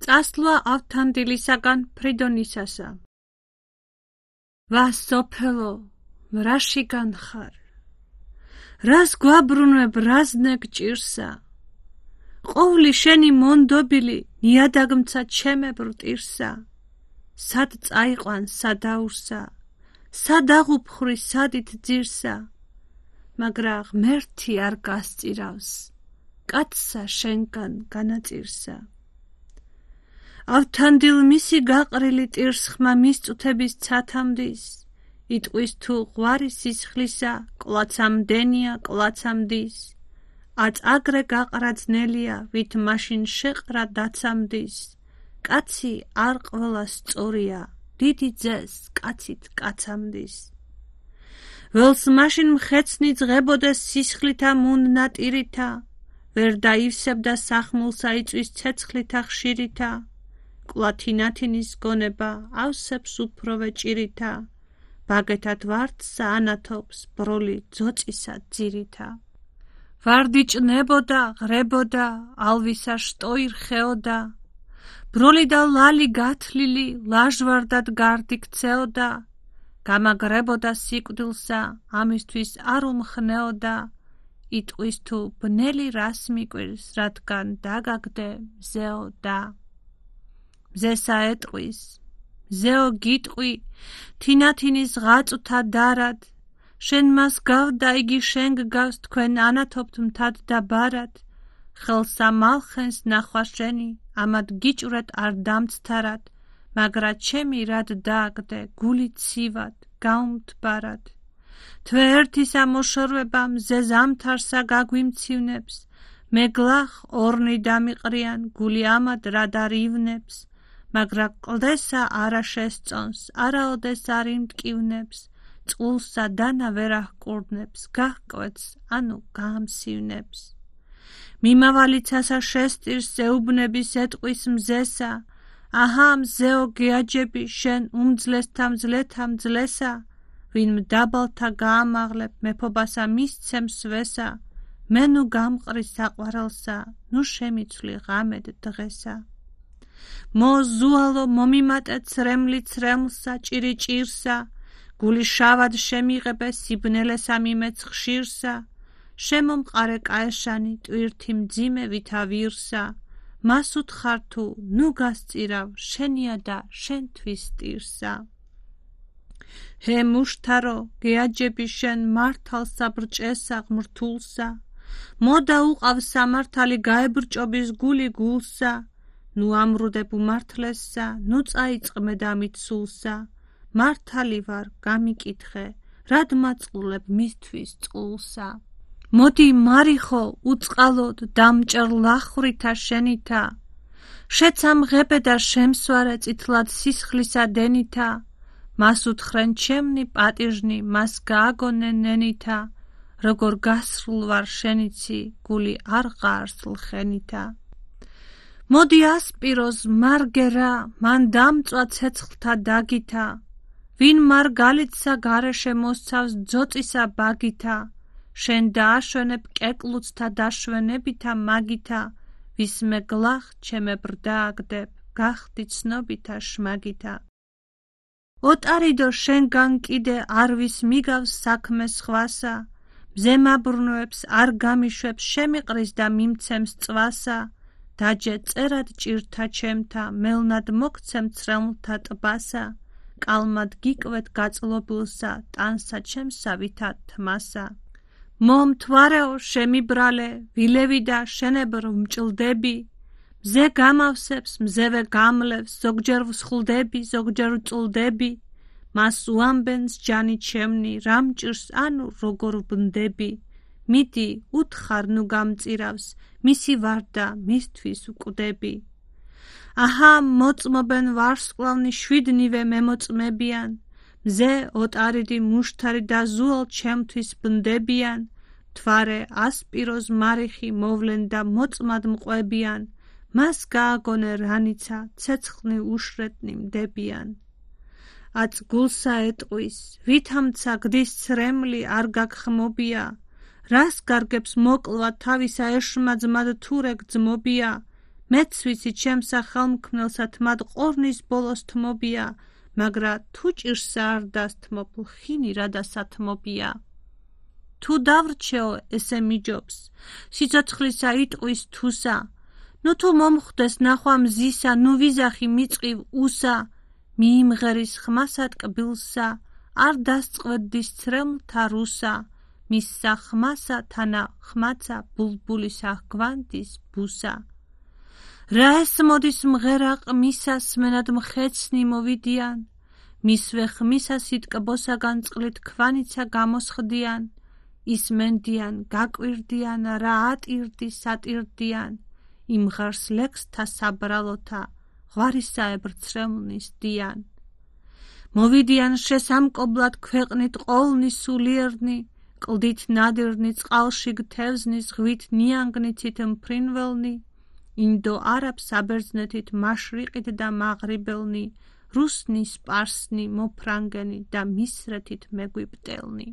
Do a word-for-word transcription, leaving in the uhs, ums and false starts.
წასვლა ავთანდილისაგან ფრიდონისასა. ვა სოფელო, რაშიგან ხარ? რას გვაბრუნებ, რას ნეგჭირსა? ყოვლი შენი მონდობილი ნიადაგმცა ჩემებრ ტირსა. სად წაიყვან სადაურსა, სად აღუფხვრი სადით ძირსა, მაგრა ღმერთი არ გასწირავს, კაცსა შენგან განაწირსა. ავთანდილ მისი გაყრილი ტირსხმა მისწუთების ცათამდის, იტყვის თუ ღვარი სისხლისა, კლაცამდენია კლაცამდის, აწ აგრე გაყრა ძნელია, ვით მაშინ შეყრა დაცამდის, კაცი არ ყველა სწორია, დიდი ძეს კაცით კაცამდის. ველს მაშინ მხეცნი ძღებოდეს სისხლითა მუნდნატირითა, ვერ დაივსებდა სახმულსა იწვის ცეცხლითა ხშირითა, კლათინათინის გონება ავსებს უფროვე ჭირითა, ბაგეთად ვარდსა ანათობს ბროლი ძოწისა ძირითა. ვარდი ჭნებოდა, ღრებოდა, ალვისა შტოი რხეოდა, ბროლი და ლალი გათლილი, ლაჟვარდად გარდი ქცეოდა, გამაგრებოდა სიკვდილსა, ამისთვის არ უმხნეოდა, იტყვის თუ ბნელი რას მიკვირს, რადგან დაგაგდე მზეოდა. მზესა ეტყვის, მზეო გიტყვი, თინათინის ღაწვთა დარად, შენ მას გავდა, იგი შენ გგავს, თქვენ ანათობთ მთად და ბარად, ხელსა მალხენს ნახვა შენი, ამად გიჭვრეთ არ დამცთარად, მაგრა ჩემი რად დააგდე, გული ცივად, გაუმთბარად. თვე ერთისა მოშორვება მზე ზამთარსა გაგვიმცივნებს, მე გლახ ორნი დამიყრიან, გული ამად რად არ ივნებს, მაგრა კლდესა არა შესწონს, არაოდეს არ იმტკივნებს, წყულსა დანა ვერ აჰკურნებს, გაჰკვეთს, ანუ გაამსივნებს. მიმავალიცასა შესტირს ეუბნების ეტყვის მზესა, აჰა მზეო გეაჯები შენ უმძლესთა მძლეთა მძლესა, ვინ მდაბალთა გაამაღლებ მეფობასა მისცემს ვესა, მე ნუ გამყრი საყვარელსა, ნუ შემიცვლი ღამედ დღესა. მო ზუალო მომიმატე ცრემლი ცრემლსა, ჭირი ჭირსა, გული შავად შემიღებე სიბნელესა მიმეც ხშირსა, შემომყარე კაეშანი ტვირთი მძიმე ვითა ვირსა, მას უთხარ თუ ნუ გასწირავ შენია და შენთვის ტირსა. ჰე მუშთარო გეაჯები შენ მართალსა ბრჭესა ღმრთულსა, მოდა უყავ სამართალი გაებრჭობის გული გულსა, ნუ ამრუდებ უმართლესსა, ნუ წაიწყმე დამით სულსა, მართალი ვარ გამიკითხე, რად მაწყლებ მისთვის წყულსა. მოდი მარიხო უწყალოდ დამჭერ ლახვრითა შენითა, შეცამღებე და შემსვარე წითლად სისხლისა დენითა, მას უთხრენ ჩემნი პატიჟნი, მას გააგონენ ნენითა, როგორ გასრულ ვარ შენიცი, გული არ ღარს ლხენითა. მოდი ასპიროს მარგერა, მან დამწვა ცეცხლთა დაგითა, ვინ მარგალიტსა გარეშე მოსცავს ძოწისა ბაგითა, შენ დააშვენებ კეკლუცთა დაშვენებითა მაგითა, ვის მე გლახ ჩემებრ დააგდებ, გახდი ცნობითა შმაგითა. ოტარიდო შენგან კიდე არ ვის მიგავს საქმე სხვასა, მზე მაბრუნვებს არ გამიშვებს, შემიყრის და მიმცემს წვასა, დაჯე წერად ჭირთა ჩემთა, მელნად მოგცემ ცრემლთა ტბასა, კალმად გიკვეთ გაწლობილსა, ტანსა ჩემსა ვითა თმასა. მომთვარეო შემიბრალე, ვილევი და შენებრ ვმჭლდები, მზე გამავსებს, მზევე გამლევს, ზოგჯერ ვსხლდები, ზოგჯერ ვწლდები, მას უამბენს ჯანი ჩემნი, რა მჭირს, ანუ როგორ ვბნდები, მიდი უთხარ ნუ გამწირავს, მისი ვარდა მისთვის ვკვდები. აჰა მოწმობენ ვარსკვლავნი შვიდნივე მემოწმებიან, მზე ოტარიდი მუშთარი და ზუალ ჩემთვის ბნდებიან, თვარე ასპიროს მარიხი მოვლენ და მოწმად მყვებიან, მას გააგონე რანიცა, ცეცხლნი უშრეტნი მდებიან. აწ გულსა ეტყვის, ვითამცა გდის ცრემლი არ გაგხმობია, რას გარგებს მოკლვა თავისა ეშმა ძმად თურე გძმობია, მეც ვიცი ჩემსა ხელმქმნელსა თმად ყორნის ბოლოს თმობია, მაგრა თუ ჭირსა არ დასთმობ ლხინი რა დასათმობია. თუ დავრჩეო ესე მიჯობს, სიცოცხლისა იტყვის თუსა, ნუ თუ მომხვდეს ნახვა მზისა, ნუ ვიზახი მიწყივ უსა, მიიმღერის ხმასა ტკბილსა, არ დასწყვეტდის ცრემლთა რუსა, მისსა ხმასა თანა ხმაცა ბულბულისა გვანდის ბუსა. რა ეს მოდის მღერა ყმისა, სმენად მხეცნი მოვიდიან, მისვე ხმისა სიტკბოსაგან წყლით ქვანიცა გამოსხდიან, ისმენდიან, გაკვირდიან, რა ატირდი სატირდიან, იმღარს ლექსთა საბრალოთა, ღვარისაებრ ცრემლნის დიან. მოვიდიან შესამკობლად ქვეყნით ყოლნი სულიერნი, კლდით ნადირნი, წყალში გთევზნი, ზღვით ნიანგნიცით მფრინველნი, ინდო არაბ საბერძნეთით მაშრიყით და მაღრიბელნი, რუსნი, სპარსნი, მოფრანგენი და მისრეთით მეგვიპტელნი.